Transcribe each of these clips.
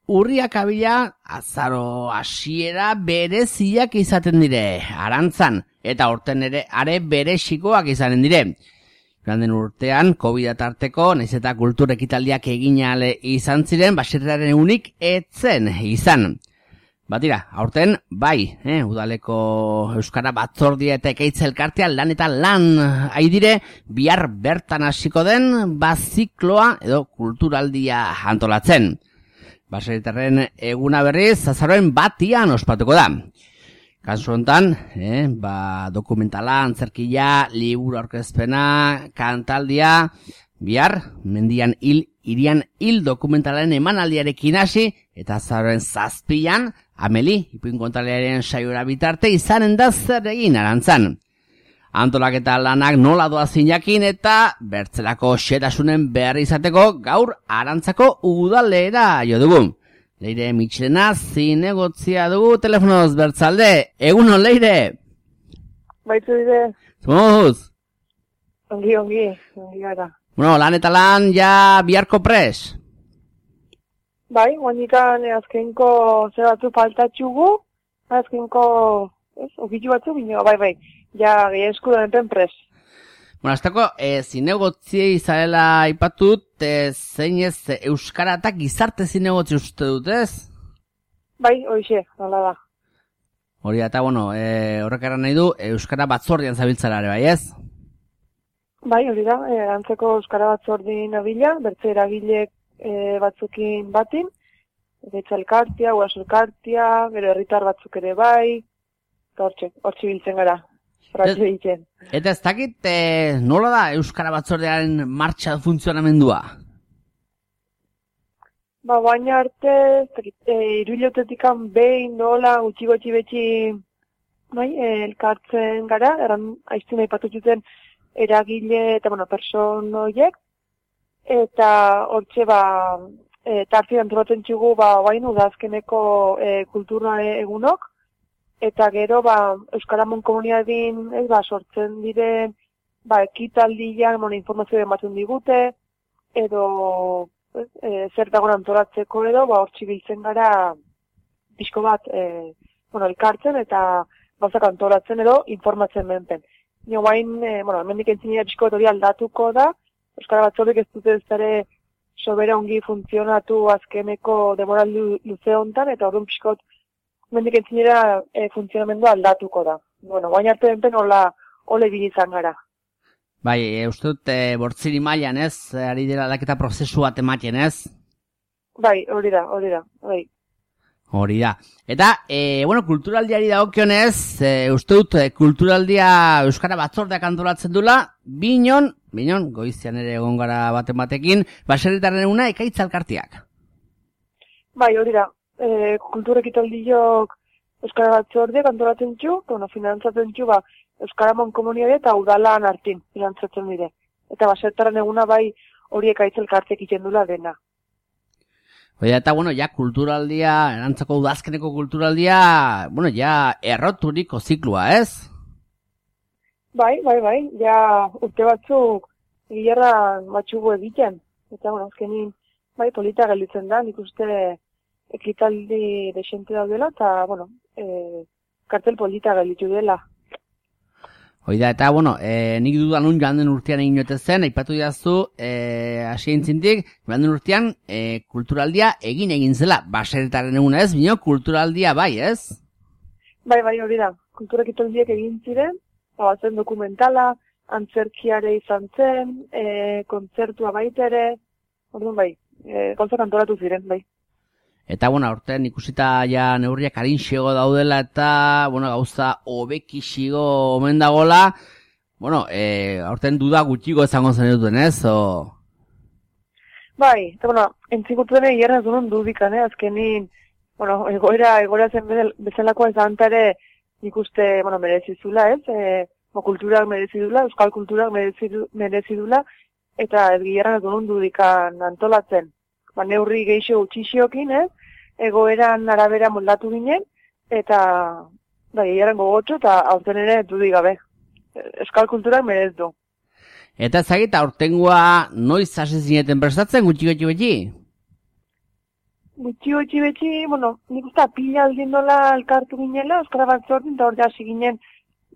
urriak abila azaro hasiera bereziak izaten dire, arantzan, eta horten ere are berezikoak izanen dire. Joan den urtean, COVID tarteko, nahiz eta kultur ekitaldiak egin ale izan ziren, baserriaren unik etzen izan. Batira, aurten, bai, udaleko Euskara Batzordia eta Ekaitz elkartea lan eta lan aidire, bihar bertan hasiko den bazikloa edo kulturaldia antolatzen. Baserritarren eguna berriz, azaroen batian ospatuko da. Kasu honetan, dokumentala, antzerkia, liburu aurkezpena, kantaldia, bihar, mendian irian hil dokumentalaren emanaldiarekin hasi, eta azaroen 7an, Ameli, ipuinkontalearen saiora bitarte, izanen da zer egin arantzan. Antolaketa lanak nola doazin jakin eta bertzelako xetasunen behar izateko gaur arantzako udalera jo dugu. Leire Mitxelena zinegotzia dugu telefonoz bertzalde. Egunon, Leire? Baitu dire. Zumuz? Ongi gara. Bueno, lan eta lan ja biharko pres? Bai, guanikan azkenko zer batzu faltatxugu, azkenko, okitu batzu bine, bai, ja gehi eskudan enten pres. Bueno, azteko, zinegotzi izarela ipatut, zein ez Euskara eta gizarte zinegotzi uste dut, ez? Bai, hoxe, nola da. Hori eta, bueno, horrek eran nahi du, Euskara Batzordian zabiltzara ere, bai, ez? Bai, hori da, antzeko Euskara Batzordin abila, bertze eragilek batzukin batin, Ekaitz elkartea, Guraso elkartea, gero herritar batzuk ere bai, eta hortxe biltzen gara. Eta ez dakit, nola da Euskara Batzordearen martxa funtzionamendua? Baina arte, iruilotetikan behin nola gutxi betxi elkartzen gara, aiztun aipatu zuten eragile eta person horiek, eta hortxe tartzi antolatzen txugu bain udazkeneko kultura egunok, eta gero Euskaramon komunidadin sortzen diren ekitaldian informazio ematen digute, edo zer dagoen antolatzeko edo hortxe biltzen gara pixko bat elkartzen eta gauzak antolatzen edo informatzen menpen. Nio bain, hemendik entzinera pixko bat hori aldatuko da, Euskara Batzordek ez dute ez dara sobera ongi funtzionatu azkeneko demoral luze hontan, eta horren pixko mendik entzinera funtzionamendua aldatuko da. Bueno, baina arte benpen ole bilizan gara. Bai, uste dut bortziri mailan ez, ari dela aldaketa prozesu bat ematen ez? Bai, hori da, bai. Hori da. Eta, kulturaldiari dagokionez, uste dut kulturaldia Euskara Batzordeak antolatzen dula, binon, goizian ere egon gara batekin, baserritarren eguna Ekaitz elkarteak. Bai, hori da. Kultur ekitaldiok Euskara Batzordeak antolatzen txu, finantzatzen txu, Euskaramon komunidade eta udalan hartin finantzatzen dire. Eta baserritarren eguna bai hori Ekaitz elkarteak ikendula dena. Eta, kulturaldia, erantzako udazkeneko kulturaldia, erroturiko ziklua, ez? Bai, ja urte batzuk gilerran batxugu egiten. Eta, azkenin, polita gelditzen da, nik uste ekitaldi desente daudela, eta, kartel polita gelditu dela. Oida, eta, nik dudan un joan den urtean egin jote zen, aipatu didazu, asien zintik, joan den urtean, kulturaldia egin zela, baserritaren eguna ez, bino, kulturaldia bai, ez? Bai, hori da, kulturekitaldiak egin ziren, batzen dokumentala, antzerkiare izan zen, kontzertua baitere, orduan gauzak antolatu ziren, bai. Eta, aurten ikusita ja neurriak arinxego daudela eta, gauza hobekixigo omen dagola, aurten duda gutxigo izango zen duten, ez? Bai, eta, entzikutuen egin ez duen dudikan, azkenin, egoera zen bezalakoa izan ere nik uste, merezizula, ez? Kulturak merezidula, euskal kulturak merezidula, eta ez gierran ez duen dudikan antolatzen. Neurri geixo utxixiokin, egoeran arabera moldatu ginen, eta gehieran gogotxo eta aurten ere dudik gabe. Euskal kulturak merez du. Eta ezagita, aurtengoa noiz hasi zineten prestatzen gutxi beti? gutxi beti, nik uste pila aldin dola elkartu ginela, euskara bat zortin, eta hor ja hasi ginen,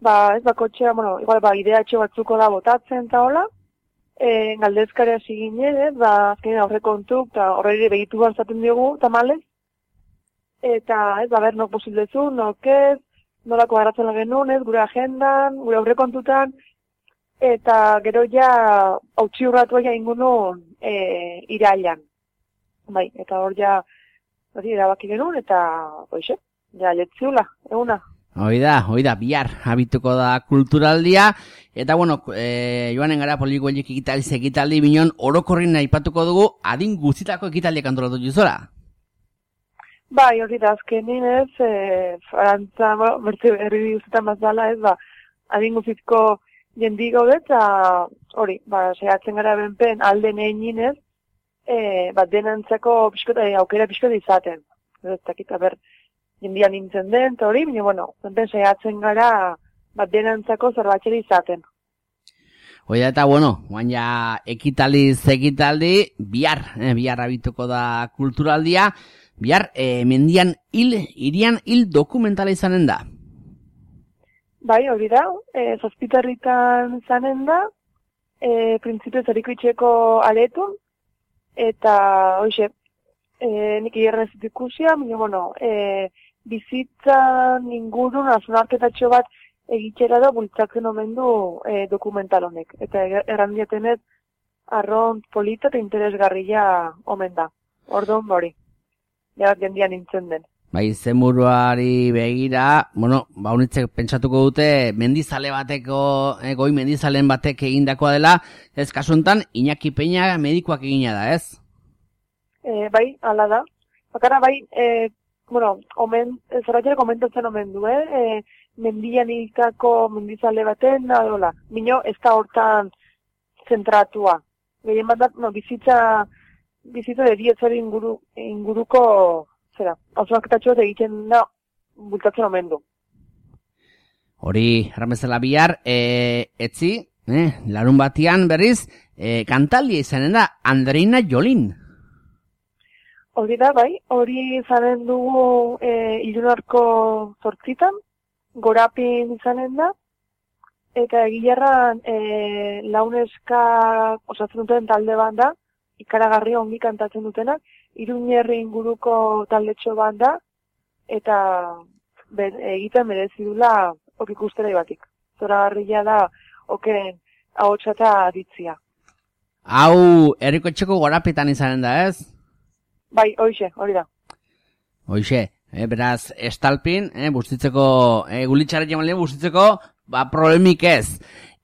ez bakotxea, igual ideatxo batzuko da botatzen eta hola, galdezkarea hasi ginen, azkenean aurrekontuk, eta horre begitu barzaten diogu, tamalez, eta ber, nok posiblezu, nok ez, nolako garatzen genuen, gure agendan, gure aurrekontutan, eta gero ja hautsi urratu ja ingunun irailan. Bai, eta hor ja erabaki genuen, eta hoxe, ja letziula, eguna. Oida, bihar habituko da kulturaldia, eta joanen gara Polikoiek ekitaldi binon orokorrin aipatuko dugu adin guztitako ekitaldiak antolatu juzora. Bai, hori da, azkenin arantza, bertze herri guztietan bazala adin guztitko jendi gaude, eta hori, saiatzen gara benpen alden egin denantzako aukera pixkota izaten. Ez dakit, jendian nintzen den, eta hori, benpen saiatzen gara denantzako zerbatxeri izaten. Oida, eta guan ja ekitaldi, bihar habituko da kulturaldia, bihar irian hil dokumentala izanen da. Bai, hori da, zazpitarritan izanen da, printzipio zarikoitxeko aletun, eta, hoxe, nik igerren ez ikusia, bizitzan ingurun azunarketatxo bat egitxera da bultzatzen omen du dokumental honek. Eta errandiatenez, arront polita eta interesgarria omen da. Orduan hori, jendian nintzen den. Bai, zenburuari begira, unitzek pentsatuko dute mendizale bateko, goi mendizalen batek egindakoa dela, ez kasuntan, Iñaki Peña medikoak egina da, ez? Bai, ala da. Bakara, bai, zerratxera komentatzen omen du, mendian ikako mendizale baten, dola. Mino, ez da hortan zentratua. Gehien bat, bizitza dedietzari inguruko hausuaketatxoat egiten da bultatzen omen du. Hori, erramezela bihar, etzi, larun batian berriz, kantaldia izanen da, Andreina Jolin. Hori da, bai, hori izanen dugu ilunarko 8 gorapin izanen da, eta egilarran launeska osatzen duten talde bat da, ikaragarri ongi kantatzen dutenak, Iruñerri inguruko taldetxo bat da, eta egiten merezi dula ok ikustera batik. Zoragarria da oken ahotsa eta aditzia. Hau, herriko etxeko gorapetan izanen da, ez? Bai, hori da. Hoxe, beraz, estalpin, bustitzeko, gulitxarret jamalien bustitzeko, problemik ez.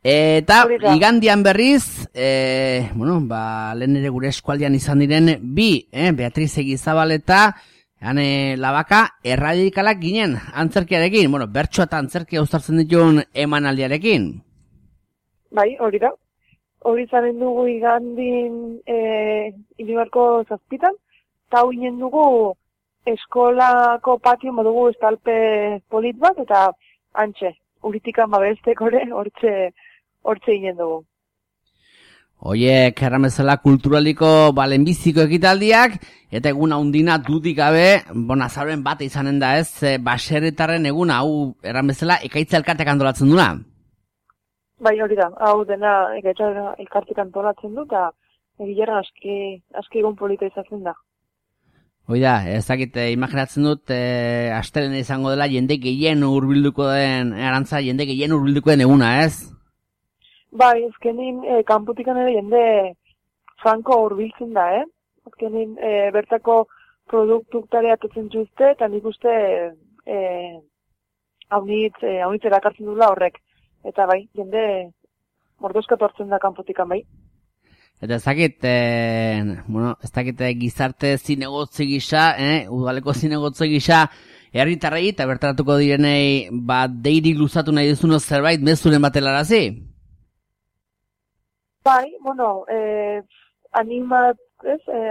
Eta igandian berriz, lehen ere gure eskualdian izan diren bi, Beatriz Egizabal eta Labaka erradikalak ginen antzerkiarekin, bertsoa eta antzerkia uztartzen dituen emanaldiarekin. Bai, hori da. Hori zaren dugu igandin Ilibarko 7, eta hau ginen dugu eskolako patio modugu estalpe polit bat, eta antxe, uritikan babestek hortze ginen dugu. Oiek, erramezela kulturaliko balenbiziko ekitaldiak, eta egun haundina dudik gabe, azaroen bat izanen da ez, baserritarren egun hau erramezela ekaitza elkartek antolatzen duna. Bai, hori da, hau dena ekaitza elkartek antolatzen du, eta egileran aski egun polita izatzen da. Oida, ezakit, imaginatzen dut, astelen izango dela jende gehien hurbilduko den, arantza jende gehien hurbilduko den eguna, ez? Bai, ezkenin kanputikan ere jende franko hurbiltzen da, Ezkenin bertako produktuktare atotzen juzte, eta nik uste haunitz erakartzen dula horrek. Eta bai, jende mordoskatu hartzen da kanputikan, bai. Eta ez dakit gizarte zinegotzi gisa, udaleko zinegotzi gisa, herritarrei eta bertaratuko direnei deiri luzatu nahi duzuno zerbait mezuren batelarazi? Bai,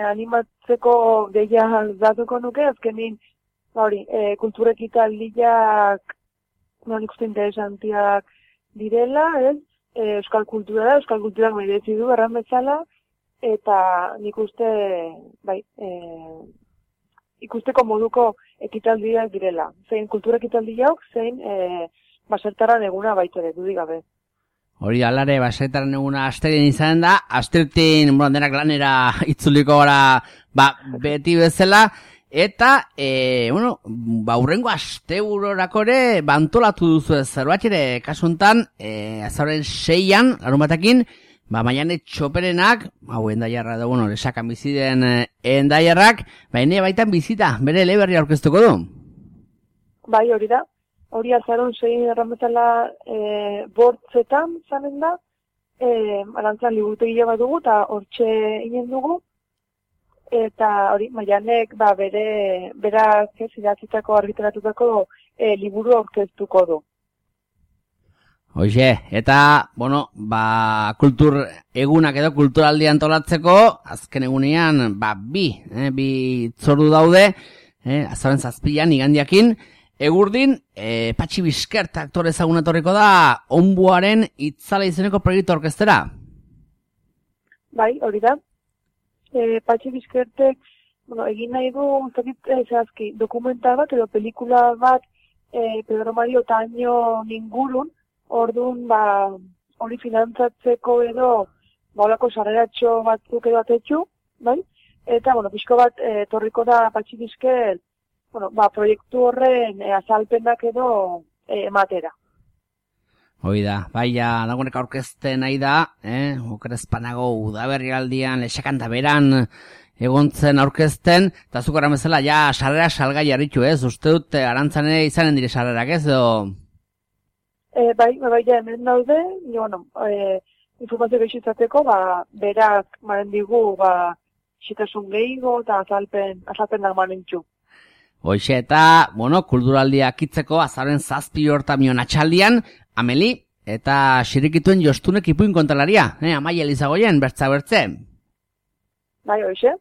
animatzeko deia datuko nuke, azkenin, kulturekitaldiak, nik uste interesantiak direla, euskal kulturak merezi du erran bezala, eta nik uste, ikusteko moduko ekitaldiak direla. Zein kultura ekitaldiak, zein basertaran eguna baitere, dudik gabe. Hori alare, basertaran eguna asterien izan da, astertin, denak lanera itzuliko gara, beti bezala, eta, urrengo asteburorako ere, bantolatu duzu zerbait ere, kasuntan, azaroren 6an, larun batekin, Maiane Txoperenak, endaiarra da, lesakan bizi den endaiarrak, ene baitan bizita, bere eleberria aurkeztuko du. Bai, hori da. Hori azaron 6 errametala bortzetan zanen da, arantzan liburutegia bat dugu, eta hortxe inen dugu, eta hori, Maianek, berak idatzitako argitaratutako liburu aurkeztuko du. Hoxe, eta, kultur egunak edo kulturaldi antolatzeko, azken egunean, bi itzordu daude, azaroren 7an, igandiakin, egurdin, Patxi Bizkert aktore ezaguna etorriko da, Onbuaren itzala izeneko proiektu orkestera. Bai, hori da. Patxi Bizkertek, egin nahi du, zehazki, dokumental bat edo pelikula bat, Pedro Mario Taño ingurun, orduan, hori finantzatzeko edo, olako sarreratxo batzuk edo atetxu, bai? Eta, pixko bat, torriko da Patxi Bizkert, proiektu horren azalpenak edo ematera. Hoi da, dagoenek aurkezten nahi da, okerezpanago udaberrialdian, lesakan da beran, egontzen aurkezten, eta zuk erran bezala, sarrera salgai harritu, uste dut, arantzane izanen dire sarrerak, edo? Bai, hemen daude, informazio gehiago izateko, berak maren digu, xitasun gehiago eta azalpenak maren txu. Hoxe eta, kulturaldiak itzeko azaren 7 hortamion atxaldian, Ameli eta xirikituen Jostunek ipuin kontalaria, Amaia Elizagoien, bertze. Bai, hoxe,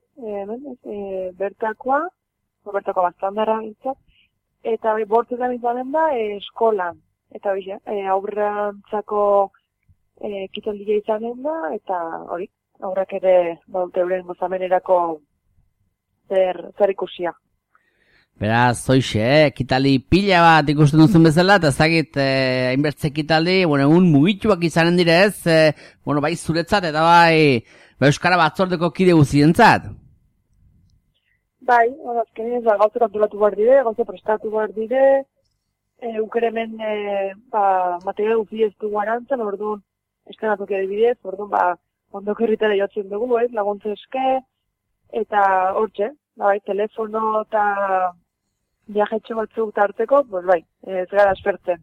bertakoa bastandara itzak, eta bortzetan izanen da eskolan. Eta hoxe, aurrantzako kitaldia izanen da, eta hori, aurrak ere euren gozamenerako zer ikusia. Beraz, hoxe, ekitali pila bat ikusten duzun bezala, eta ezagit, hainbertze ekitaldi, egun mugituak izanen direz, bai zuretzat, eta bai Euskara Batzordeko kide guzientzat. Bai, azkenean gauze kantoratu behar dire, gauze prestatu behar dire, ukeremen material guzi ez dugu arantzen, orduan, estenatuak adibidez, orduan, ondoko herritara jotzen dugu, laguntze eske, eta hortxe, telefono eta viajetxo batzuk tarteko, ez gara aspertzen.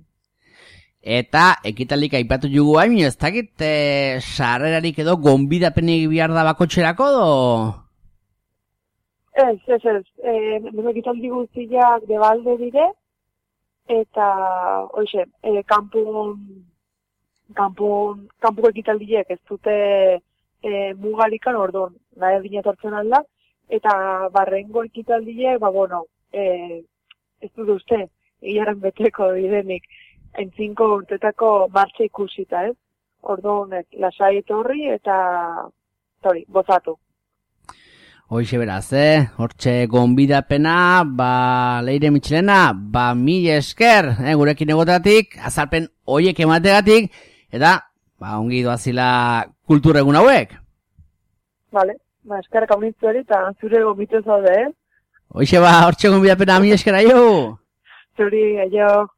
Eta ekitalik aipatu jugu hain, ez dakit sarrerarik edo gonbidapenik bihar da bakotxerako, do? Ez. Ekitaldi guztiak debalde dire, eta, hoxe, kanpuko ekitaldiek ez dute mugarikan, orduan, nahi adina tortzen alda, eta barrengo ekitaldiek, ez dut uste, egiaren beteko direnik, entzinko urtetako martxa ikusita, orduan, lasai etorri eta, gozatu. Hoxe beraz, hortxe gonbidapena, Leire Mitxelena, mil esker, gurekin egotatik, azalpen hoiek emategatik, eta, ongi doazila kultur egun hauek. Vale, eskerrak haunitzu eta zure gombituz zaude, Hoxe hortxe gonbidapena, mil esker, aio! Zuri, aio!